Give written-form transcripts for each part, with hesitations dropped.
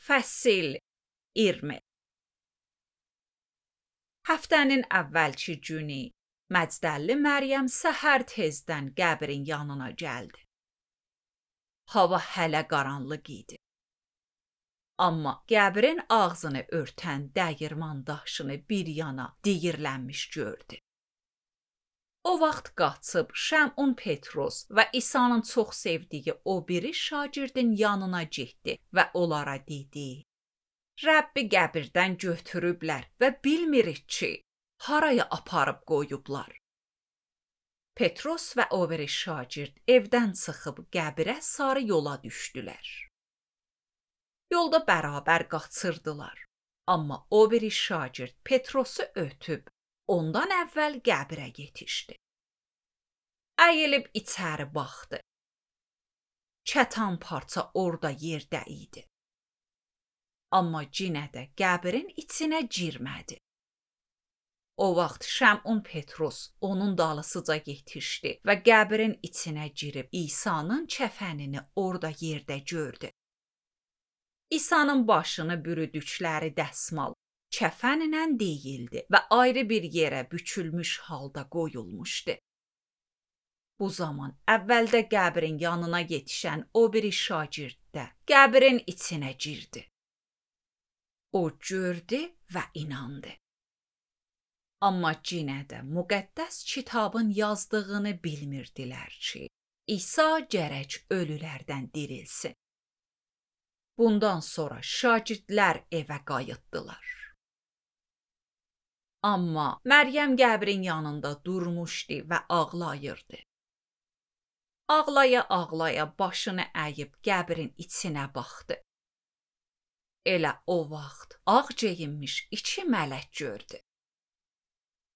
Fəsil 20. Həftənin əvvəlki günü Məcdəlli Məryəm səhər tezdən qəbrin yanına gəldi. Hava hələ qaranlıq idi. Amma qəbrin ağzını örtən dəyirman daşını bir yana diyirlənmiş gördü. O vaxt qaçıb Şəmun Petros və İsa'nın çox sevdiyi o biri şagirdin yanına getdi və onlara dedi: Rəbbi qəbirdən götürüblər və bilmirik ki, haraya aparıb qoyublar. Petros və o biri şagird evdən çıxıb qəbirə sarı yola düşdülər. Yolda bərabər qaçırdılar, amma o biri şagird Petrosu ötüb ondan əvvəl qəbirə yetişdi. Əyilib içəri baxdı. Kətan parça orada yerdə idi. Amma yenə də qəbrin içinə girmədi. O vaxt Şəmun Petros onun dalısıca yetişdi və qəbrin içinə girib İsa'nın kəfənini orada yerdə gördü. İsa'nın başını bürüdükləri dəsmal kəfənlə deyildi və ayrı bir yerə bükülmüş halda qoyulmuşdu. Bu zaman əvvəldə qəbrin yanına yetişən o biri şagird də qəbrin içinə girdi. O gördü və inandı. Amma yenə də müqəddəs kitabın yazdığını bilmirdilər ki, İsa gərək ölülərdən dirilsin. Bundan sonra şagirdlər evə qayıtdılar. Amma Məryəm qəbrin yanında durmuşdu və ağlayırdı. Ağlaya-ağlaya başını əyib qəbrin içinə baxdı. Elə o vaxt ağ geyinmiş 2 mələk gördü.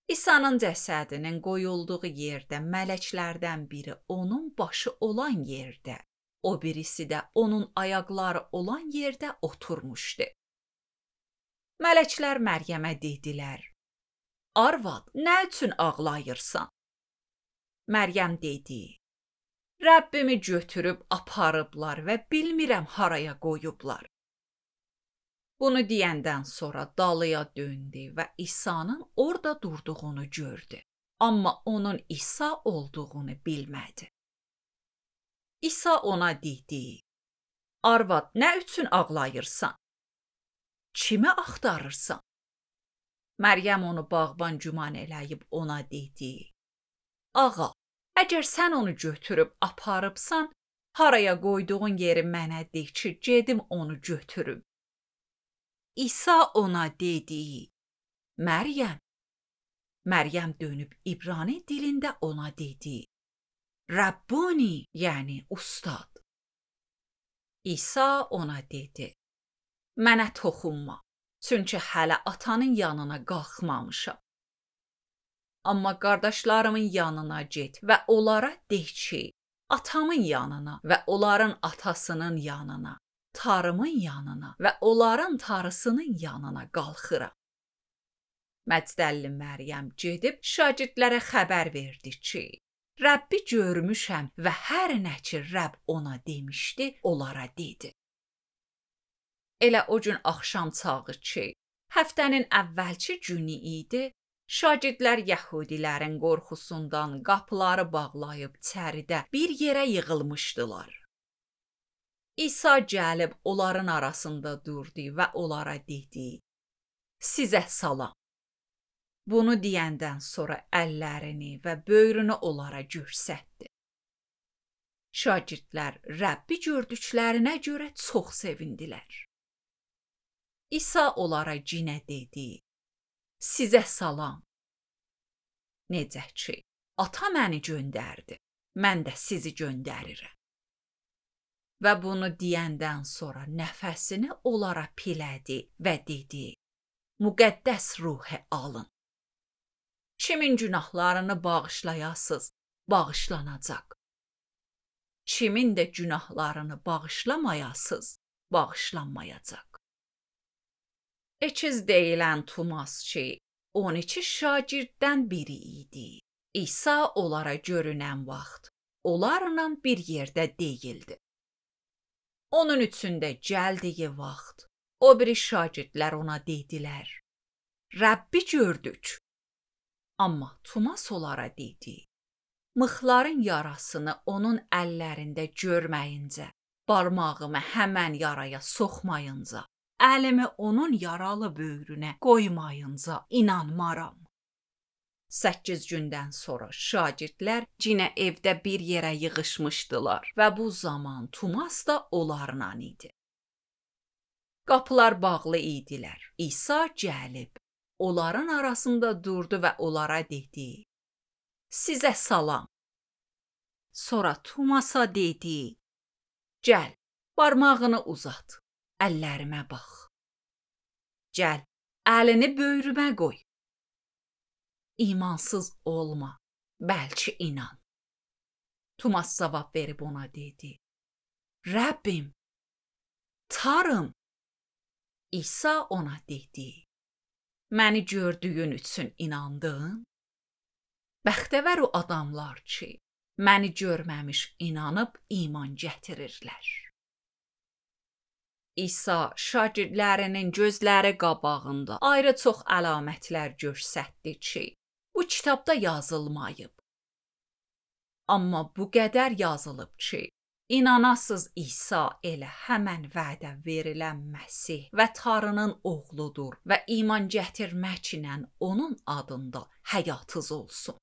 İsa'nın cəsədinin qoyulduğu yerdə mələklərdən biri onun başı olan yerdə, o birisi də onun ayaqları olan yerdə oturmuşdu. Mələklər Məryəmə dedilər: Arvad, nə üçün ağlayırsan? Məryəm dedi: Rəbbimi götürüb aparıblar və bilmirəm haraya qoyublar. Bunu deyəndən sonra dalıya döndü və İsa'nın orada durduğunu gördü. Amma onun İsa olduğunu bilmədi. İsa ona dedi: Arvad, nə üçün ağlayırsan? Kimi axtarırsan? Məryəm onu bağban güman eləyib ona dedi: Ağa, əgər sən onu götürüb aparıbsan, haraya qoyduğun yeri mənə de ki, gedim onu götürüm. İsa ona dedi: Məryəm. Məryəm dönüb İbrani dilində ona dedi: Rabboni, yəni ustad. İsa ona dedi: Mənə toxunma, çünki hələ atanın yanına qalxmamışam. Amma qardaşlarımın yanına get və onlara de ki, atamın yanına və onların atasının yanına, tarımın yanına və onların tarısının yanına qalxıram. Məcdəlli Məryəm gedib şagirdlərə xəbər verdi ki, Rəbbi görmüşəm və hər nə ki Rəbb ona demişdi, onlara dedi. Elə o gün axşam çağı ki, həftənin əvvəlki günü idi, şagirdlər yəhudilərin qorxusundan qapıları bağlayıb içəridə bir yerə yığılmışdılar. İsa gəlib onların arasında durdu və onlara dedi: Sizə salam. Bunu deyəndən sonra əllərini və böyrünü onlara göstərdi. Şagirdlər Rəbbi gördüklərinə görə çox sevindilər. İsa onlara yenə dedi: Sizə salam. Necə ki, ata məni göndərdi, mən də sizi göndərirəm. Və bunu deyəndən sonra nəfəsini onlara pilədi və dedi: Müqəddəs ruhu alın. Kimin günahlarını bağışlayasız, bağışlanacaq. Kimin də günahlarını bağışlamayasız, bağışlanmayacaq. Ekiz deyilən Tumas ki, 12 şagirddən biri idi. İsa onlara görünən vaxt, onlarla bir yerdə deyildi. Onun üçün də gəldiyi vaxt, O biri şagirdlər ona dedilər: Rəbbi gördük. Amma Tomas onlara dedi: Mıxların yarasını onun əllərində görməyincə, barmağımı həmən yaraya soxmayınca, əlimi onun yaralı böyrünə qoymayınca inanmaram. 8 gündən sonra şagirdlər yenə evdə bir yerə yığışmışdılar və bu zaman Tomas da onlarla idi. Qapılar bağlı idilər. İsa gəlib, onların arasında durdu və onlara dedi: Sizə salam. Sonra Tomasa dedi: Gəl, barmağını uzat, əllərimə bax. Gəl, əlini böyrümə qoy. İmansız olma, bəlkə inan. Tomas cavab verib ona dedi: Rəbbim, Tanrım. İsa ona dedi: Məni gördüyün üçün inandın? Bəxtəvər o adamlar ki, məni görməmiş inanıb iman gətirirlər. İsa şagirdlərinin gözləri qabağında ayrı çox əlamətlər göstərdi ki, bu kitabda yazılmayıb. Amma bu qədər yazılıb ki, İnanasız İsa elə həmən vədə verilən Məsih və Tanrının oğludur və iman gətirməklə onun adında həyatınız olsun.